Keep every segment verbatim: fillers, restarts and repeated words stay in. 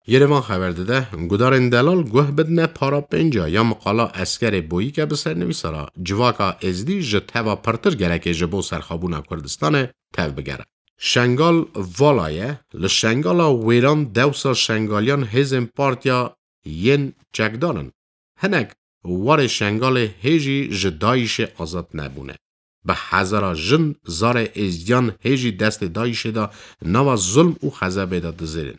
Yerevan xeber dide, gudarên delal guh bidine para pênca ya miqala Eskerê Boyîke bi sernivîsa re, civaka Êzdî ji teva pirtir gereke ji bo serxabûna Kurdistanê tev bigere. Şengal vala ye, li Şengala Wêran dewsa Şengaliyan hêzên partiya yên çekdar in. Hinek warê Şengalê hê jî ji DAIŞê azad nebûne. Bi hezara jin zarê Êzdiyan hê jî destê DAIŞê de nava zulm û xezebê de dizêrin.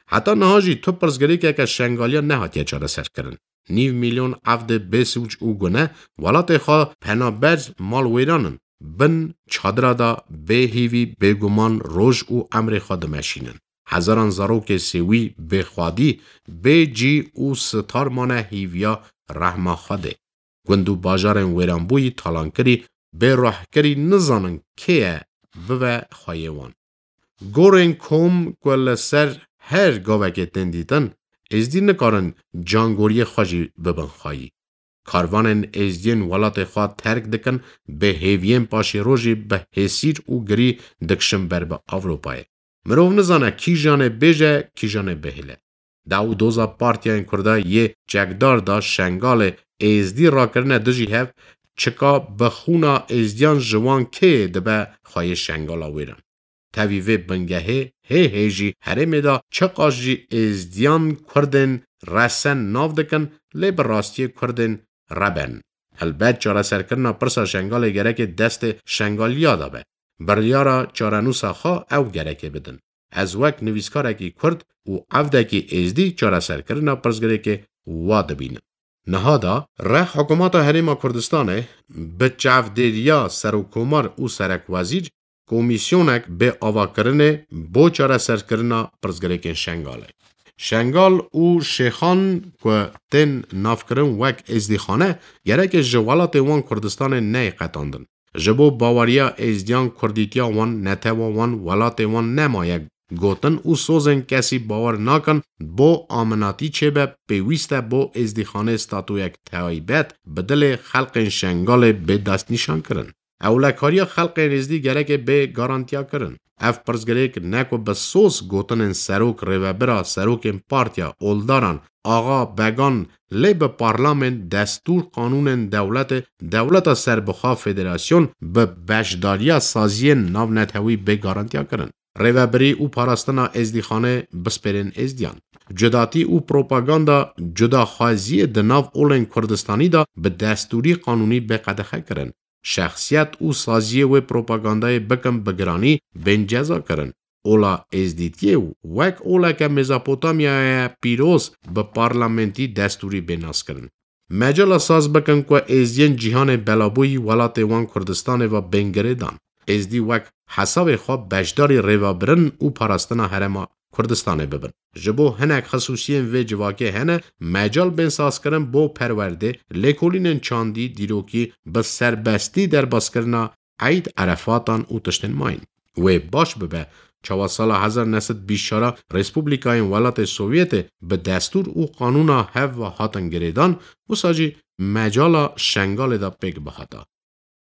Heta niha jî tu pirsgirêkeke Şengaliyan nehatiye çareserkirin. Nîv milyon evdê bê sûc û gune welatê xwe penaber mal wêran in. Bin çadira de bê hîvî, bêguman roj û emrê xwe dimeşînin. Hezaran zarokê sêwî bê xwedî, bê cî û sitar mane hîviya rehma Xwedê. Gund û bajarên wêranbûyî, talankirî, bê ruhkirî nizanin kê ye bibe xweyê wan. Gorên kom ku li ser her gavekê tên dîtin, Êzdî nikarin cangoriyê xwe jî bibin xweyî. Karvanên Êzdiyên welatê xwe terk dikin, bi hêviyên paşê rojî bi hêsîr û girî dikişin ber bi Ewropayê. Mirov nizane kîjanê bêje, kîjanê bihêle. Daw û doza partiyên Kurda yê çekdar da Şengalê Êzdî rakirine dijî hev, çika bi xûna Êzdiyan ji wan kê dibe xweyê Şengala wêran. Tevî vê bingehê hê hê jî herêmê de çiqas jî Êzdiyan Kurdên resen nav dikin, lê bi rastiyê Kurdên reben. Helbet çareserkirina pirsa Şengalê gereke destê Şengaliya de be. Biryara çarenûsa xwe ew gereke bidin. Ez wek nivîskarekî Kurd û evdekî Êzdî çareserkirina pirsgirêkê wa dibînim. Niha da rex Hikûmeta Herêma Kurdistanê bi çavdêriya Serokkomar û Serekwezîr komîsyonek bê avakirinê bo çareserkirina pirsgirêkên Şengalê. Şengal û Şêxan ku tên navkirin wek Êzdîxane, gereke ji welatê wan Kurdistanê neyê qetandin. Ji bo baweriya Êzdiyan kurdîtiya wan, netewa wan, welatê wan nemaye gotin û sozên kesî bawer nakin bo aminatî çêbe, pêwîst e bo Êzdîxanê statuyek taybet bi dilê xelqên Şengalê bê destnîşankirin. Ewlekariya xelqên Êzdî gereke bê garantiyakirin. Ev pirsgirêk ne ku bi soz gotinên serok, rêvebira, serokên partiya, oldaran, axa, began, lê bi parlament, destûr, qanûnên dewletê, dewleta serbixwe, federasyon, bi beşdariya saziyên navnetewî bê garantiyakirin. Rêvebirî û parastina Êzdîxanê bispêrên Êzdiyan. Cudatî û propaganda cudaxwaziyê di nav olên Kurdistanî de bi destûrî qanûnî bê qedexe kirin. Şexsiyet û saziyê wê propagandayê bikin bi giranî bên ceza kirin. Ola Êzdîtiyê wek oleke Mezopotamyaya pîroz bi parlamentî destûrî bê naskirin. Mecala saz bikin ku Êzdiyên cîhanê belabûyî welatê wan Kurdistanê ve bên girêdan. Êzdî wek hesabê xwe beşdarî rêvebirin û parastina herêma Kurdistanê bibin. Ji bo hinek xisûsiyên vê civakê hene, mecal bên sazkirin bo perwerdê, lêkolînên çandî, dîrokî, bi serbestî derbaskirina eyd, erefatan û tiştên mayîn. Wê baş bibe, çawa sala hezar neh sed bîst çar a Respublikayên Welatê Sovyetê bi destûr û qanûna hev ve hatin girêdan, wisa jî mecala Şengalê de pêk bihata.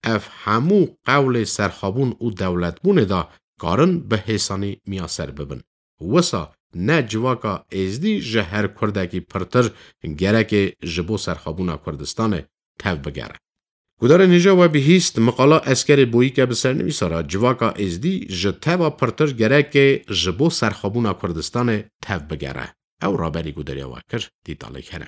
Ev hemû qewlê serxwebûn û dewletbûnê de karin bi hêsanî miyaser bibin. Wisa ne civaka Êzdî ji her Kurdekî pirtir gereke ji bo serxwebûna Kurdistanê tev bigere. Gudarên hêja we bihîst, miqala Eskerê Boyîke bi sernivîsa re civaka Êzdî ji teva pirtir gereke ji bo serxwebûna Kurdistanê tev bigere. Ew raberî gudariya we kir, dîtalek hene.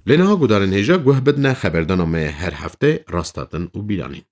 Lê niha gudarên hêja guh bidine xeberdana me her hefte Rastatin û Bîranîn.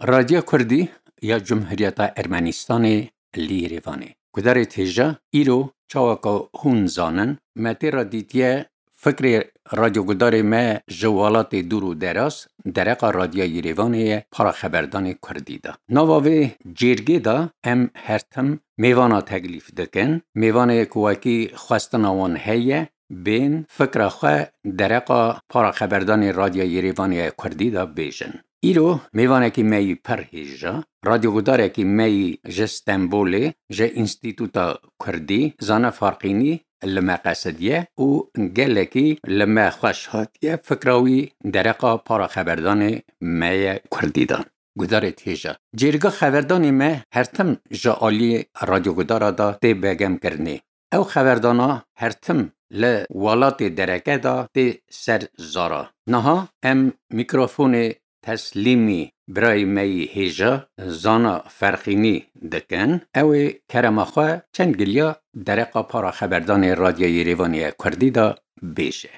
Radya Kurdî ya Cumhuriyeta Ermenistanê li Yerevanê. Gudarê hêja, îro çawa ku hûn zanin, me tê re dîtiye fikrê radyogudarê me ji welatê dûr û deraz, dereqa Radya Yerevanê ye, para xeberdanê Kurdî de. Nava vê cêrgê de em her tim mêvana teklîf dikin. Mêvanê ku wekî xwestina wan heye, bên fikra xwe dereqa para xeberdanê Radya Yerevanê ye Kurdî de bêjin. Îro mêvanekî me yî pir hêja, radyogudarekî me yî ji Stenbolê, ji Înstîtuta Kurdî, Zane Farqînî li me qesidiye û gelekî li me xweş hatiye fikra wî dereqa para xeberdanê me ye Kurdî de. Gudarê hêja. Cêrga xeberdanê me her tim ji aliyê radyogudara de tê begemkirinê. Ew xeberdana her tim li welatê dereke de tê ser zara. Niha em mîkrofonê teslîmî birayê me yî hêja Zana Ferqînî dikin. Ew ê kerema xwe çend giliya dereqa para xeberdanê Radya Yerevanê ye Kurdî de bêje.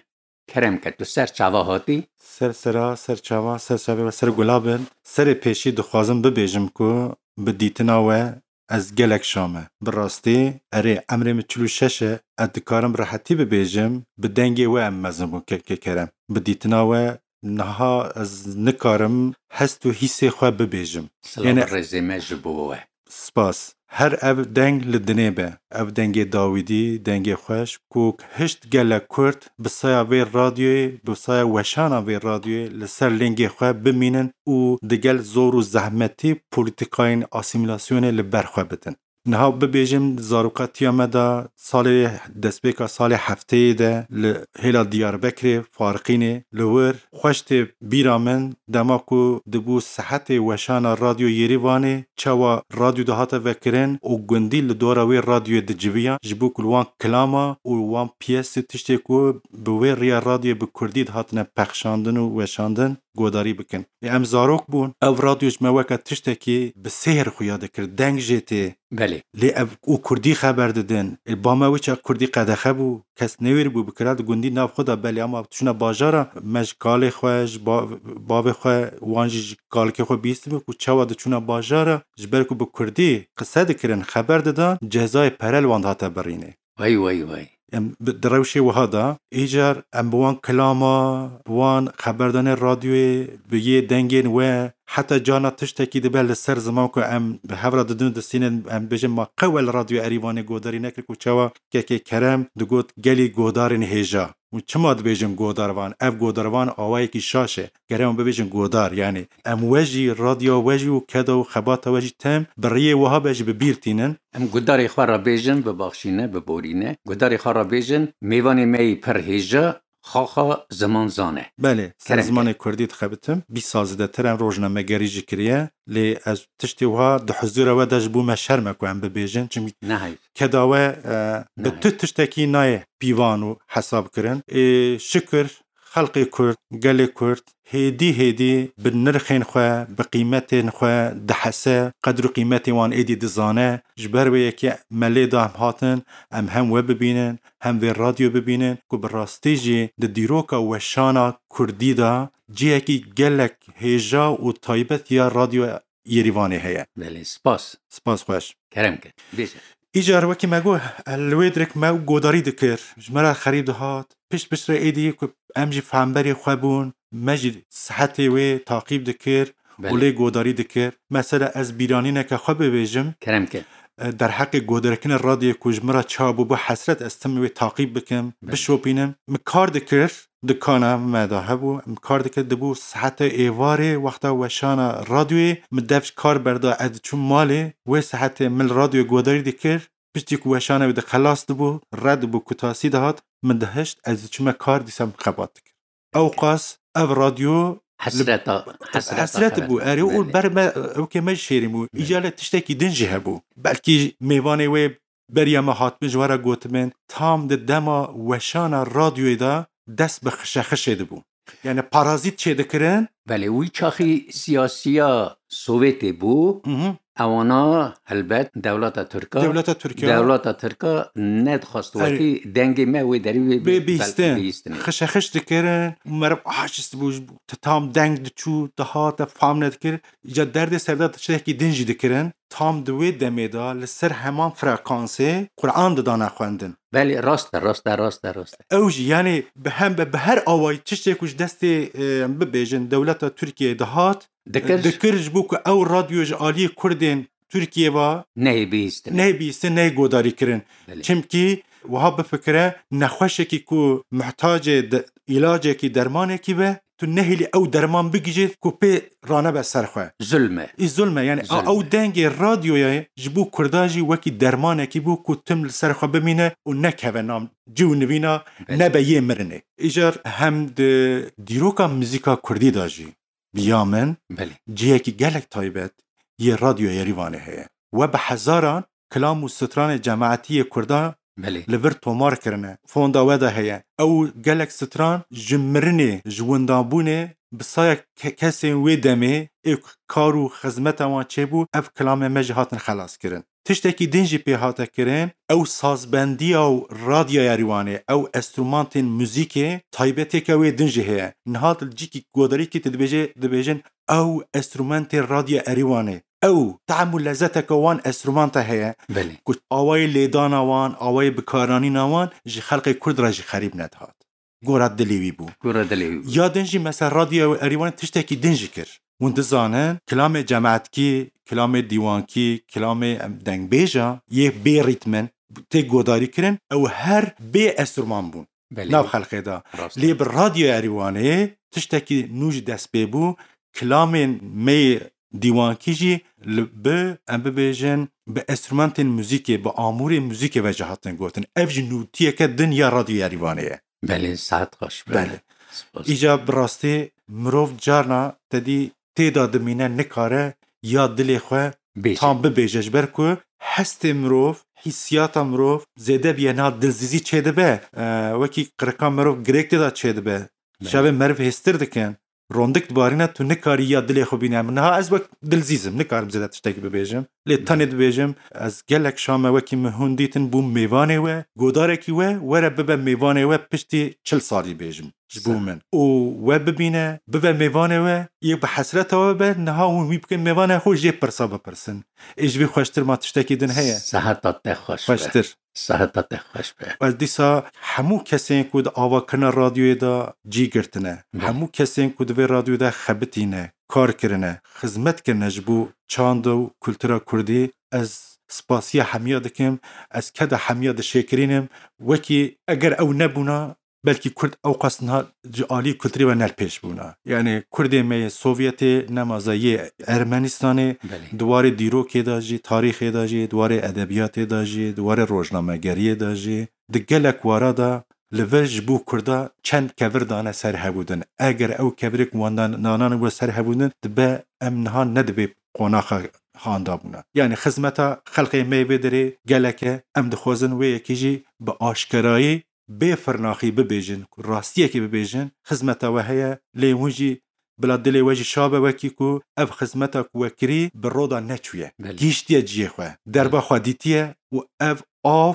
Kerem ke tu ser çava hatî. Ser sera, ser çava, ser çavê we ser gula bin. Serê pêşî dixwazim bibêjim ku bi dîtina we ez gelek şa me. Bi rastî, erê, emrê min çil û şeş e, ez dikarim bi rehetî bibêjim, bi dengê we em mezin bûn, kekê Kerem. Bi dîtina we niha ez nikarim hest û hîsê xwe bibêjim. Silav Yanî û rêzê me ji bo we. Spas. Her ev deng li dinê be. Ev dengê dawîdî, dengê xweş, ku hişt gelek Kurd bi saya vê radyoyê, bi saya weşana vê radyoyê li ser lingê xwe bimînin û digel zor û zehmetî polîtîkayên asîmîlasyonê li ber xwe bidin. Niha bibêjim, zarokatiya me de salê, destpêka salê hefteyê de li hêla Diyarbekirê, Farqînê, li wir xweş tê bîra min, dema ku dibû sihetê weşana Radyo Yêrîvanê, çawa radyo dihate vekirin û gundî li dora wê radyoyê diciviyan, ji bo ku li wan kilama û wan piyes û tiştê ku bi wê riya radyoyê bi kurdî dihatine pexşandin û weşandin, godarî bikin. Ê, em zarok bûn, ev radyo ji me weke tiştekî bi sêhr xuya dikir, deng jê tê. Belê. Lê ev û kurdî xeber didin. Ê, ba me wê çax kurdî qedexe bû, kes newêribû bikira, di gundî nav xwe de belê, ama tişûna bajara me ji kalê xwe, ji ba-, bavê xwe, wan jî ji kalikê xwe bihîstibû ku çawa diçûna bajara, ji ber ku bi kurdî qise dikirin, xeber didan, cezayê pere li wan dihate birînê. Wey, wey, wey. Em bi, di rewşê wiha de, îcar em bi wan kilama, bi wan xeberdanê radyoyê, bi yê dengên we, heta carna tiştekî dibe li ser ziman ku em bi hev re didin û distînin, em bêjin ma qew li Radyo Erîvanê godarî nekir ku çawa kekê Kerem digot gelî godarên hêja. Û çima dibêjin godarvan? Ev godarvan awayekî şaş e. Gere em bibêjin godar, yanî em we jî, radya we jî û keda û xebata we jî tem bi riyê wiha be jî bi bîr tînin. Em gudarê xwe re bêjin, bibaxşîne, biborîne. Gudarê xwe re bêjin, mêvanê me yî pir hêja, xaxa ziman zane. Belê, ser Kerem zimanê ke. Kurdî dixebitim. Bîst sal zêdetir em rojnamegerî jî kiriye. Lê ez tiştê wiha di huzûra we de ji bo me şerm e ku em bibêjin. Çimkî Nehayf. Keda we, e, bi Nehayf. Tu tiştekî nayê pîvan û hesab kirin. Ê, şikir, xelkê Kurd, gelê Kurd, hêdî hêdî bi nirxên xwe, bi qîmetên xwe dihese, qedr û qîmetê wan êdî dizane. Ji ber wê yekê me lê da em hatin, em hem we bibînin, hem vê radyo bibînin, ku bi rastî jî di dîroka weşana Kurdî de cihekî gelek hêja û taybet ya Radyo Yêrîvanê heye. Belê, spas. Spas xweş. Kerem ke. Bêje. Îcar wekî me got, li wê direk me godarî dikir. Ji me re xerîb dihat. Pişt pişt re êdî ku em jî fehamberê xwe bûn, me jî sihetê wê taqîb dikir û Belê. Lê godarî dikir. Mesela ez bîranîneke xwe bibêjim. Kerem ke. E, derheqê godarkirina radyoyê ku ji min re çawa bû, bû hesret ez tim wê taqîb bikim, Belê. Bişopînim. Min kar dikir, dikana me de hebû, em kar dikir, dibû saete êvarê wexta weşana radyoyê, min dev ji kar berda, ez diçûm malê, wê saetê min li radyoyê godarî dikir, piştî ku weşana wê di xelas dibû, red dibû, kutasî dihat, min dihişt, ez diçûme kar, dîsa min xebat dikir. Ewqas ev radyo Hesreta, hesreta hesret xeber. Bû, erê û Belê. Ber me, ewkê me jî şêrîn bû. Belê. Îca lê tiştekî din jî hebû. Belkî mêvanê wê beriya me hatibin ji we re gotibin, tam di dema weşana radyoyê de dest bi xişexişê dibû. Yani parazît çêdikirin. Belê, wî çaxî siyasiya Sovyetê bû. Mhm. Ewana helbet dewleta Tirka, Dewleta Tirkiya. Dewleta Tirka nedixwest Erê. wekî dengê me wê derî wê Bê bî-, bihîstin. bihîstinê. Xişexiş dikirin, meriv aciz dibû, ji bo tam deng diçû, dihate fam nedikir. Îca derdê serda tiştekî din jî dikirin. Tam di wê demê de li ser heman frekansê Quran didane xwendin. Belê, rast e, rast e, rast e, rast e. Ew jî, yanî bi hem, bi her awayî tiştê ku ji destê, e, em bibêjin, dewleta Tirkiyeyê dihat, Dikir. dikir ji bo ku ew radyo ji aliyê Kurdên Tirkiyê ve Neyê bihîstin. neyê bihîstin, neyê godarî kirin. Belê. Çimkî wiha bifikire, nexweşekî ku muhtacê de, îlacekî, dermanekî be, tu nehêlî ew derman bigihîjî ku pê ranebe ser xwe. Zulm e. Î zulm e, yanî a, Zulm e. ew dengê radyoyê ji bo Kurda jî wekî dermanekî bû ku tim li ser xwe bimîne û nekeve nav cî û nivîna Belê. nebe yê mirinê. Îcar hem di dîroka muzîka Kurdî de jî bi ya min Belê. cihekî gelek taybet yê Radyo Yerîvanê heye. We bi hezaran kilam û stranê cemaetî yê Kurda Belê. li vir tomar kirine. Fonda we de heye. Ew gelek stran ji mirinê, ji windabûnê bi saya ke-, kesên wê demê ê kar û xizmeta wan çêbû, ev kilamê me jî hatin xelas kirin. Tiştekî din jî pê hate kirin, ew sazbendiya û Radya Yerîwanê, ew enstrumantên muzîkê taybetêke wê din jî heye. Niha tu li cîkî godarîkî tu dibêje, dibêjin ew enstrumentê Radya Erîwanê. Ew tehm û lezzeteke wan enstrumanta heye Belê. ku awayê lêdana wan, awayê bikaranîna wan ji xelkê Kurd re jî xerîb nedihat. Gora dilê wî bû. Gora dilê wî bû. Ya din jî mesela Radyo Erîwanê tiştekî din jî kir. Hûn dizanin, kilamê cemaetkî, kilamê dîwankî, kilamê em dengbêja yê bê rîtm in, tê godarî kirin, ew her bê enstrûman bûn Belê. nav xelkê de. Rast. Lê bi Radyo Erîwanê tiştekî nû jî dest pê bû, kilamên me yê dîwankî jî li, bi, em bibêjin, bi enstrûmentên muzîkê, bi amûrê muzîkê ve jî hatin gotin. Ev jî nûtiyeke din ya Radyo Erîwanê ye. Belê, saet xweş be. Belê. Spas. Îca bi rastî mirov carna te dî tê de dimîne, nikare ya dilê xwe Bêje. tam bibêje, ji ber ku hestê mirov, hîsiyata mirov zêde bûye niha dilzîzî çêdibe. E, wekî qirika mirov girêk tê de çêdibe. Belê. Çavê meriv hêstir dikin. Rondik dibarîne, tu nikarî ya dilê xwe bîne. Min niha ez wek dilzîz im, nikarim zêde tiştekî bibêjim. Lê tenê dibêjim, ez gelek şa me wekî min hûn dîtin, bûm mêvanê we, godarekî we, were bibe mêvanê we piştî çil salî bêjim ji bo Sağ. min. Û we bibîne, bibe mêvanê we, yek bi hesreta we be, niha hûn wî bikin mêvanê xwe, jê pirsa bipirsin. Ê ji vê xweştir ma tiştekî din heye? Seheta te xweş be. Xweştir. Seheta te xweş be. Ez dîsa hemû kesên ku di avakirina radyoyê de cî girtine, Belê. hemû kesên ku di vê radyoyê de xebitîne, kar kirine, xizmet kirine ji bo çanda û kultura kurdî, ez spasiya hemiya dikim, ez keda hemiya dişêkirînim. Wekî eger ew nebûna, belkî kurd ewqas niha ji alî kulturê ve ne li pêş bûna. Yanî kurdê me yê Sovyetê, nemaze yê Ermenistanê, Belê. di warê dîrokê de jî, tarîxê de jî, di warê edebiyatê de jî, di warê rojnamegeriyê de jî, di gelek wara de li vir ji bo kurda çend kevir dane ser hevûdin. Eger ew kevirê ku wan dan-, danan we ser hevûdin, dibe em niha ne di vê qonaxa handa bûna. Yanî xizmeta xelkê me yê vê derê gelek e, em dixwazin wê yekê jî bi aşkerayî bê firnaxî bibêjin, ku rastiyekê bibêjin, xizmeta we heye, lê hûn jî bila dilê we jî şa be, wekî ku ev xizmeta ku we kirî bi roda neçûye. Belê. Gihîştiye cihê xwe, derba Belê. xwe dîtiye û ev av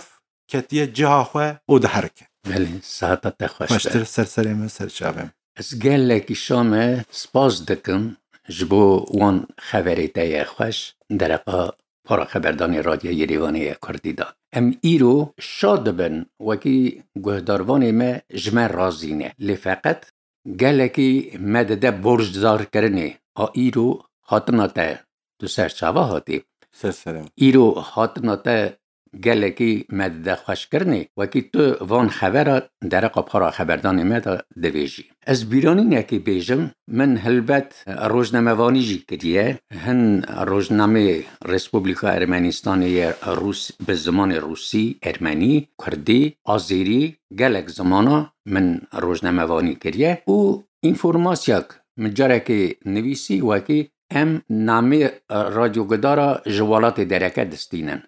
ketiye ciha xwe û diherike. Belê, seheta te xweş be. Xweştir ser serê min, ser çavê min. Ez gelekî şa me spas dikim ji bo wan xeverê te ye xweş, dereqa para xeberdanê Radyo Yerîvanê ye Kurdî de. Em îro şa dibin, wekî guhdarvanê me ji me razî ne. Lê feqet gelekî me dide borcdarkirinê. A îro hatina te tu ser çava hatî. Ser serê min. Îro hatina te gelekî me dide xweşkirinê. Wekî tu van xevera dereqa para xeberdanê me de divêjî. Ez bîranînekê bêjim, min helbet rojnamevanî jî kiriye. Hin rojnameyê Respublika Ermenistanê ye Rûs-, bi zimanê rûsî, ermenî, kurdî, azêrî, gelek zimana min rojnamevanî kiriye û înformasyak min carekê nivîsî wekî em namê, e, radyogidara ji welatê dereke distînin.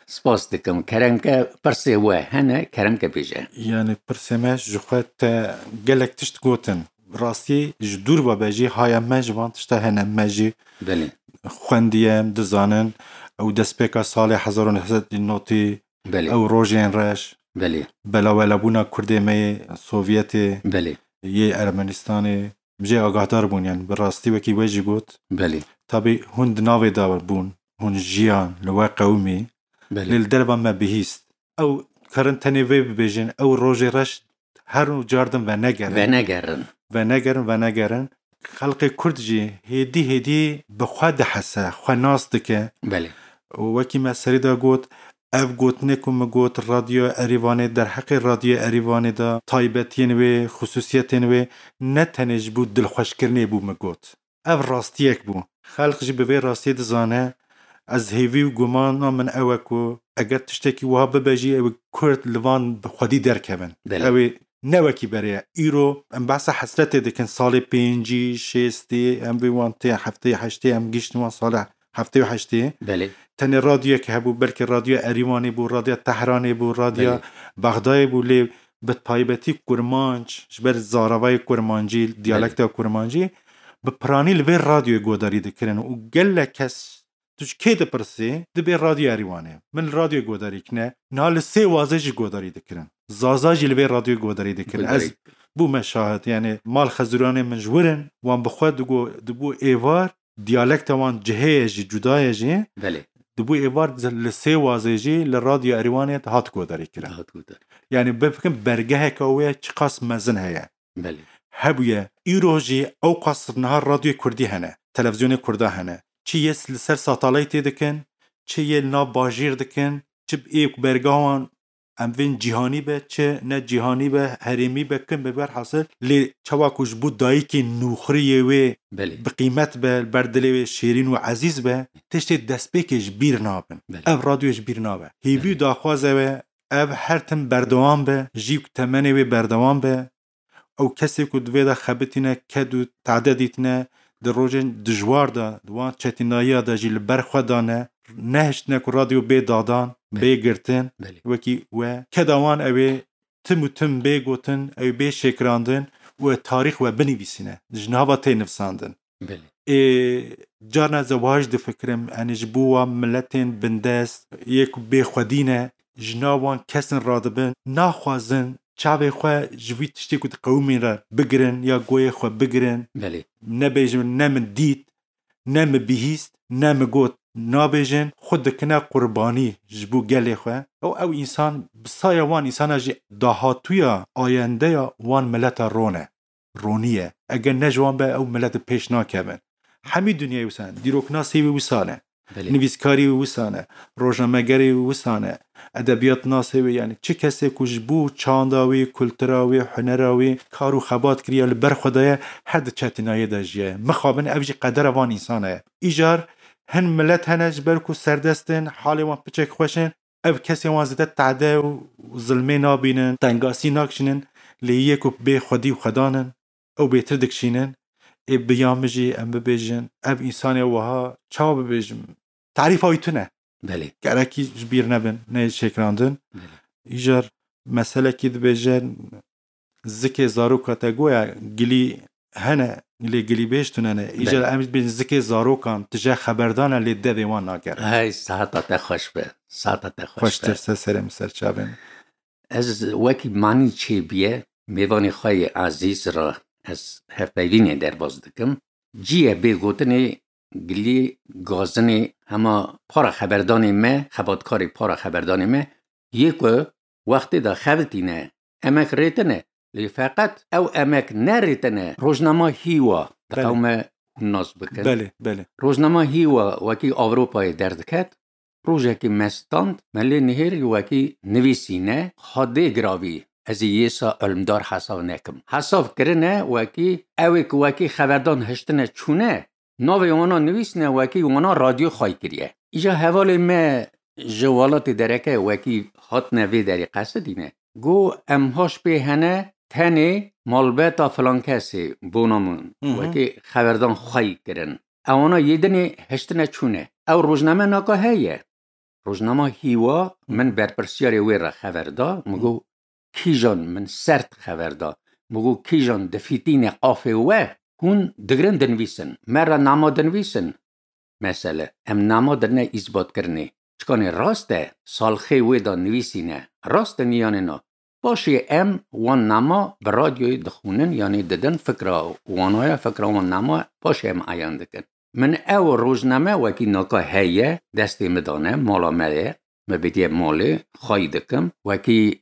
Spas dikim. Keremke pirsê we hene, keremke bêje. Yanî pirsê me ji xwe te gelek tişt gotin. Rastî ji dûr ve be jî haya me ji van tişta hene me jî Belê. xwendiye, em dizanin ew destpêka salê hezar û neh sed û notî, Belê. ew rojên reş, Belê. belawelabûna Kurdê me yê Sovyetê, Belê. yê Ermenistanê, em jê agahdar bûn, yani bi rastî wekî we jî got. Belê. Tabî hûn di navê de bûn, hûn jiyan li we qewimî, Belê. lê li derva me bihîst. Ew karin tenê vê bibêjin, ew rojê reş her car din venegerin. Venegerin. Venegerin, venegerin. Xelkê Kurd jî hêdî hêdî bi xwe dihese, xwe nas dike. Belê. Û wekî me serî de got, ev gotinê ku min got, Radyo Erîvanê, derheqê Radyo Erîvanê de taybetiyên wê, xusûsiyetên wê ne tenê ji bo dilxweşkirinê bû, min got. Ev rastiyek bû. Xelk jî bi vê rastiyê dizane. Ez hêvî û gumana min ew e ku eger tiştekî wiha bibe jî, ew Kurd li van bi xwedî derkevin. Belê. Ew ê ne wekî berê ye. Îro em behsa hesretê dikin, salê pêncî, şêstê, em vê wan tê heftê, heştê, em gihîştin wan salê heftê û heştê. Belê. Tenê radyoyek hebû, belkî Radyo Erîvanê bû, Radyo Tehranê bû, Radyo Belê. Bexdayê bû, lê bi taybetî kurmanc, ji ber zaravayê kurmancî, Belê. diyalekta kurmancî, bi piranî li vê radyoyê godarî dikirin û gelek kes, tu ji kê dipirsî, dibê Radyo Erîvanê. Min li radyoyê godarî kine. Niha li Sêwazê jî godarî dikirin. Zaza jî li vê radyoyê godarî dikirin. Godarî. Ez bûme şahid, yani mal xezûranê min ji wir in, wan bi xwe digo-, dibû êvar, diyalekta wan cihê ye jî, cuda ye jî. Belê. Dibû êvar li Sêwazê jî li Radyo Erîvanê dihat godarî kirin. Dihat godarî. Yani bifikirin bergeheke wê çiqas mezin heye. Belê. Hebûye. Îro jî ewqas niha radyoyê kurdî hene, televîzyonê kurda hene. Çi yê li ser satalaytê dikin, çi yê li nav bajêr dikin, çi ê ku berga wan em vên cîhanî be, çi ne cîhanî be, herêmî be, kin be, berhasil lê çawa ku ji bo dayikê nûxuriyê wê Belê. bi qîmet be, li ber dilê wê şêrîn û ezîz be, tiştê destpêkê ji bîr nabin. Belê. Ev radyoyê ji bîr nabe. Hêvî û Belê. daxwaz ew e, ev her tim berdewam be, jî ku temenê wê berdewam be. Ew kesê ku di vê de xebitîne, ked û tade dîtine, di rojên dijwar de, di wan çetînayiya de jî li ber xwe dane, nehiştine ku radyo bê dadan, Belê. bê girtin, Belê. wekî we. Keda wan ew ê tim û tim bê gotin, ew bê şêkirandin û ew tarîx we binivîsîne. Ji nava tê nivsandin. Belê. Ê, carna ez wahaj difikirim, yani ji bo wan miletên bindest, yê ku bê xwedî ne, ji nav wan kesin radibin, naxwazin çavê xwe ji vî tiştê ku diqewimîn re bigirin ya goyê xwe bigirin. Belê. Nebêjin, ne min dît, ne min bihîst, ne min got. Nabêjin, xwe dikine qurbanî ji bo gelê xwe. Ew, ew însan, bi saya wan însana jî dahatûya, ayendeya wan mileta rone. Ronî ye. Eger ne ji wan be, ew milet bi pêş nakevin. Hemî dinyayê wisa ne. Dîroknasê wî wisa ne. Belê. Nivîskarî wî wisa ne. Rojnamegerê wî wisa ne. Edebiyatnasê wî, yani çi kesê ku ji bo çanda wî, kultura wî, hunera wî kar û xebat kiriye, li ber xwe daye, her di çetînayê de jiye. Mixabin ev jî qedera van însana ye. Îcar hin milet hene ji ber ku serdest in, halê wan piçek xweş in, ev kesên wan zêde tade û zilmê nabînin, tengasî nakişînin, lê yê ku bê xwedî û xwedan in, ew bêtir dikişînin. Ê bi ya min jî em bibêjin, ev însanê wiha çawa bibêjim? Tarîfa wî tune. Belê. Gerekî ji bîr nebin, neyê şêkirandin. Belê. Îcar meselekî dibêje, zikê zaroka te goya gilî hene, lê gilîbêj tune ne. Îcar Belê. em dibên zikê zarokan tije xeberdan e, lê devê wan nagere. Hey, saheta te xweş be. Saheta te xweş Xweştir be. ser serê min ser çavên. Ez wekî manî çêbûye, mêvanê xwe yê ezîz re ez hevpeyvînê derbas dikim. Cî ye bê gotinê gilî gazinê hema para xeberdanê me, xebatkarê para xeberdanê me, yê ku wextê de xebitîne, emek rêtine, lê feqet ew emek nerêtine. Rojnama Hîwa, Belê. diqewime hûn nas bikin. Belê, belê. Rojnama Hîwa wekî Ewropayê derdiket, rojekê me stand, me lê nihêrî wekî nivîsîne, xwedê giravî, ez ê yê sa ilmdar hesav nekim. Hesav kirine wekî, ew ê ku wekî xeberdan hiştine çûne, navê wana nivîsine wekî wana radyo xway kiriye. Îja hevalê me ji welatê dereke wekî hatine vê derê qesidîne. Got, em haş pê hene tenê malbeta filan kesê bona min Hı hı. wekî xeberdan xway kirin. Ewana yê dinê hiştine çûne. Ew rojname naka heye. Rojnama Hîwa, min berpirsiyarê wê re xeber da, min got, kîjan min sert xeber da. Min got, kîjan difîtîne afê we, hûn digirin dinivîsin. Me re nama dinivîsin. mesele. Em nama dirine îsbatkirinê. Çikanê rast e, salxê wê de nivîsîne. Rast e niyanê na. Paşê em wan nama bi radyoyê dixwînin, yanî didin fikra wana ye, fikra wan nama, paşê em eyan dikin. Min ew rojname wekî naka heye, destê min dane, mala me ye, me bediye malê, xwayî dikim. Wekî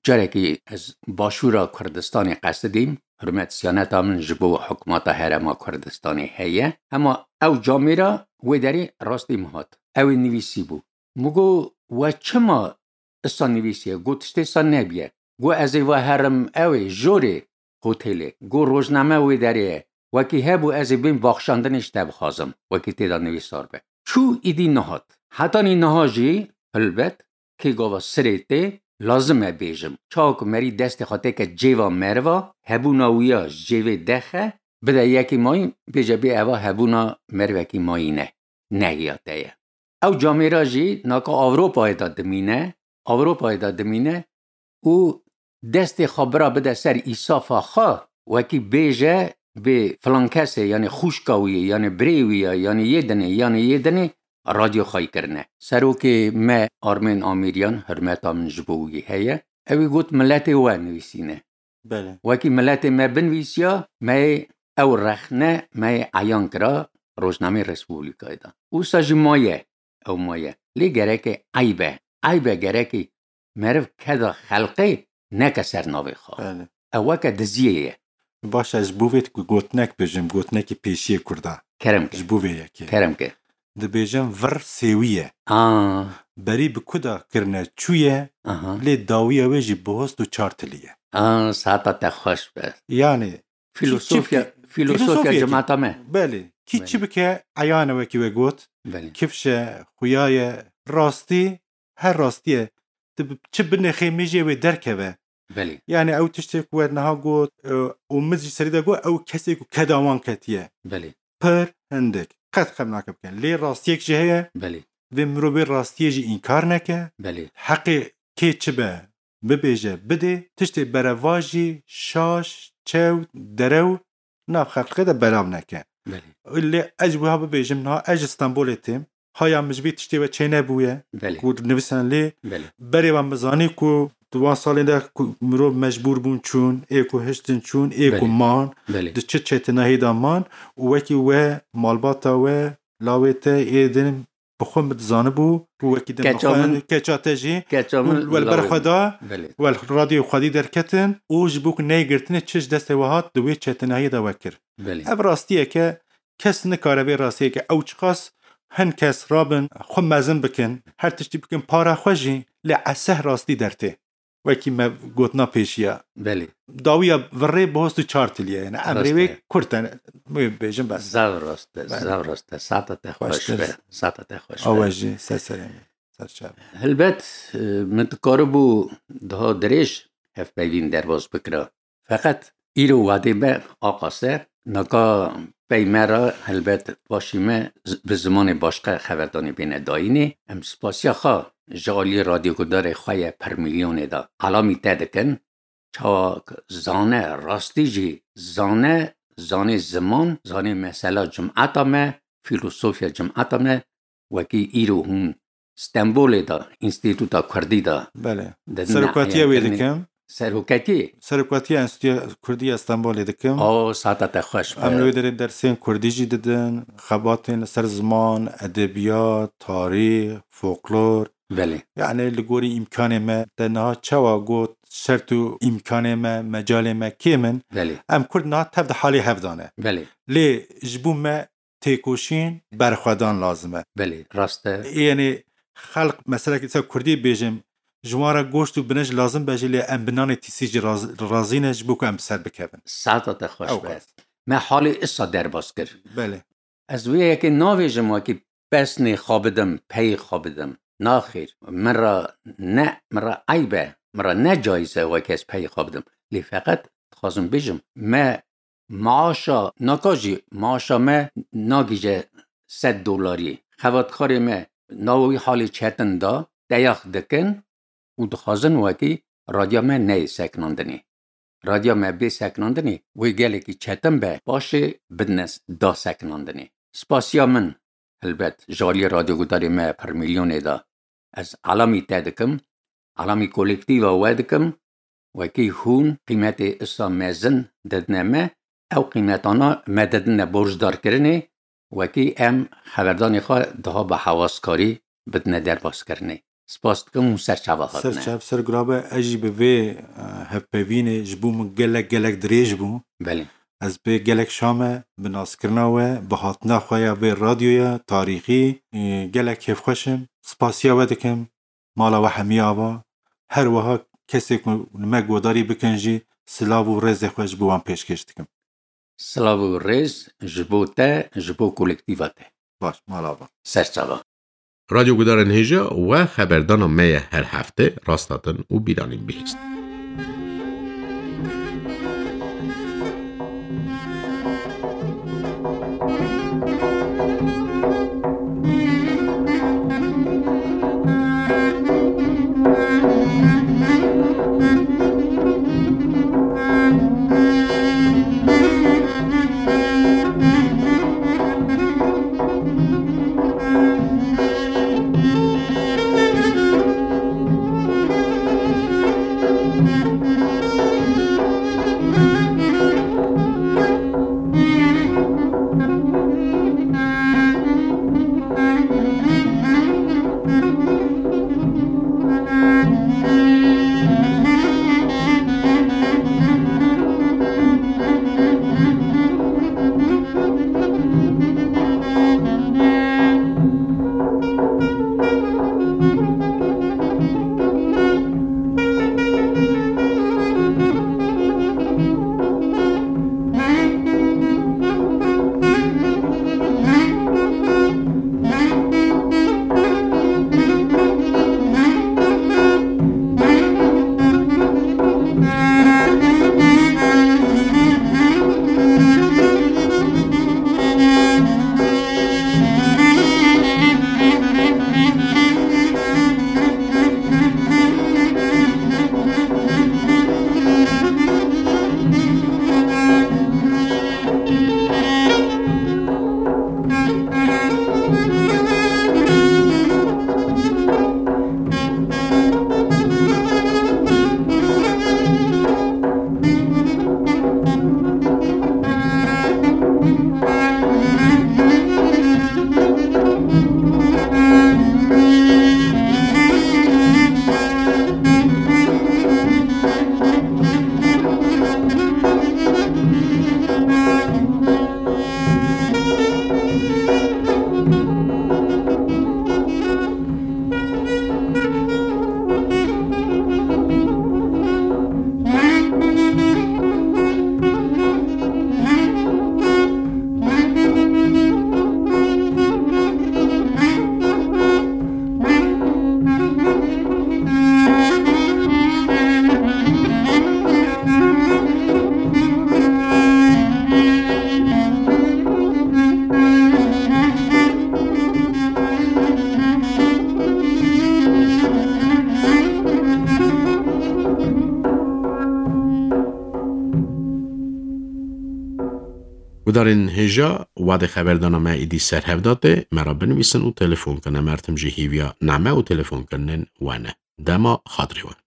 carekî ez Başûra Kurdistanê qesidîm, hurmet siyaneta min ji bo hikûmeta Herêma Kurdistanê heye, hema ew camêra wê derê rastî min hat. Ew ê nivîsîbû. Min got, we çima isa nivîsiye? Got, tiştê sa nebiye. Got, ez ê va herim ew ê, jorê hotelê. Got, rojname wê derê ye. Wekî hebû ez ê bêm baxşandinê ji te bixwazim. Wekî tê de nivîsar be. Çû, îdî nehat. Hetanî niha jî, hilbet, kê gava sirê tê, lazim e bêjim. Çawa ku merî destê xwe têke cêva meriva, hebûna wî ya ji cêvê dexe, bide yekî mayîn, bêje bê eva hebûna merivekî mayîn e, negiya te ye. Ew camêra jî naka Ewropayê de dimîne, Ewropayê de dimîne û destê xwe bira bide ser îsafa xwe, wekî bêje bê filan kesê, yanî xwişka wî ye, yanî birê wî ye, yanî yê dinê, yanî yê dinê, radyo xwayî kirine. Serokê me Armên Amîriyan, hurmeta min ji bo wî heye, ewî got, miletê we nivîsîne. Belê. Wekî miletê me binivîsiya, me yê ew rexne, me yê eyan kira Rojnameyê Respublikayê de. Wisa jî maye, ew maye. Lê gereke eyb e. Eyb e, gerekî meriv keda xelqê neke ser navê xwe. Belê. Ew weke diziyê ye. Baş e, ez ji bo vê ku gotinek bêjim, gotinekî pêşiyê Kurda. Kerem ke. Ji bo vê yekê. Kerem ke. Dibêjin vir sêwî ye. Aa. Berî bi ku de kirine çûye, aha, lê dawiya wê jî bi host û çar tilî ye. Aa, saeta te xweş be. Yani, Filosofya, çi, çi, filosofya filosofya cemaata me. Belê. Kî çi bike, eyan e wekî we got. Belê. Kifş e, xuya ye, rastî, her rastî ye. Tu bi, çi binêxê mêjê wê derkeve. Belê. Yani ew tiştê ku we niha got, e, û min jî serî de got, ew kesê ku keda wan ketiye. Belê. Pir hindik. Qet xem nake bikin. Lê rastiyek jî heye. Belê. Vê mirovê rastiyê jî înkar neke. Belê. Heqê kê çi be, bibêje, bidê. Tiştê berevajî, şaş, çew, derew nav xelqê de belav neke. Belê. Lê ez ji wiha bibêjim, niha ez ji Stenbolê têm. Haya min ji vê tiştê ve çênebûye, belê, ku nivîsandin lê. Belê. Berê ve min zanî ku di wan salên de ku mirov mecbûr bûn çûn, ê ku hiştin çûn, ê ku, belê, man, belê, di çi çetinahî de man û wekî we malbata we, lawê te ê din bi xwe min dizanibû ku wekî din keça min, keça te jî, keça min wel ber xwe da, belê, wel radyoyê xwedî derketin û ji bo ku neyê girtinê çi ji destê we hat di wê çetinahiyê de we kir. Belê. Ev rastiyeke kes nikare vê rastiyeke ew çiqas hin kes rabin xwe mezin bikin, her tiştî bikin para xwe jî, lê eseh rastî dertê. Wekî me gotina pêşiya. Belê. Dawiya virê bi host û çar tiliye. Yani emrê wê kurt e. Wê bêjin bes. Zav rast e, belê, zav rast e. Sata te xweş be. Sata te xweş be. Awe jî ser serê min. Ser çavê. Hilbet, e, min dikaribû daha dirêj hevpeyvîn derbas bikira. Feqet îro wadê me aqas e, naka pey me re helbet paşî me z-, bi zimanê başqe xeberdanê bêne dayînê. Em spasiya xwe ji aliyê radyogudarê xwe ye pir milyonê de elamî te dikin. Çawa zane, rastî jî zane, zanê ziman, zanê mesela cimeta me, fîlosofiya cimeta me, wekî îro hûn Stenbolê de, Înstîtuta Kurdî de, belê, didin serokatiya wê eyankirinê dikim. Serokatî? Serokatiya Înstîtuya Kurdî ya Stenbolê dikim. O, sata te xweş be. Em li wê derê dersên kurdî jî didin, xebatên li ser ziman, edebiyat, tarîx, folklor. Belê. Yani li gorî îmkanê me, te niha çawa got, şert û îmkanê me, mecalê me kêm in. Belê. Em kurd niha tev di halê hev de ne. Belê. Lê ji bo me têkoşîn, berxwedan lazim e. Belê, rast e. Yanî xelq, meselekî ser kurdî bêjim, ji wan re goşt û binij lazim be jî, lê em bi nanê tîsî jî raz-, razî ne ji bo ku em bi ser bikevin. Saeta te xweş be. Ew qas. Me halê isa derbas kir. Belê. Ez wê yekê navêjim wekî pesnê xwe bidim, peyê xwe bidim. Naxêr, min re ne, min re eyb e, min re ne cayîz e wekî ez peyê xwe bidim. Lê feqet dixwazim bêjim, me maaşa, naka jî maaşa me nagihîje sed dolarî. Xebatkarê me nava wî halê çetin de teyax dikin û dixwazin wekî radya me neyê sekinandinê. Radya me bê sekinandinê, wê gelekî çetin be, paşê bidine s-, da sekinandinê. Spasiya min, Helbet, ji aliyê radyogudarê me pir milyonê de ez elamî te dikim, elamî kolektîva we dikim, wekî hûn qîmetê isa mezin didine me, ew qîmetana me didine borcdarkirinê, wekî em xeberdanê xwe daha bi hewaskarî bidine derbaskirinê. Spas dikim û ser çava hatine. Ser çav, ser gurabe, ez jî bi vê, e, hevpeyvînê ji bo min gelek, gelek dirêj bû. Belê. Ez pê gelek şa me bi naskirina we, bi hatina xwe ya vê radyoya tarîxî, e, gelek kêfxweş im. Spasiya we dikim, mala we hemî ava. Her wiha kesê ku li me guhdarî bikin jî silav û rêzê xwe ji bo wan pêşkêş dikim. Silav û rêz ji bo te, ji bo kolektîva te. Baş, mala ava. Ser çava. Radyo Gudarên Hêja we xeberdana me ye her hefte, rast hatin û bîranîn bihîst. Gudarên hêja, wadê xeberdana me êdî ser hev da tê, me re binivîsin û telefon kin. Em her tim jî hîviya name û telefonkirinên we ne. Dema xatirê we.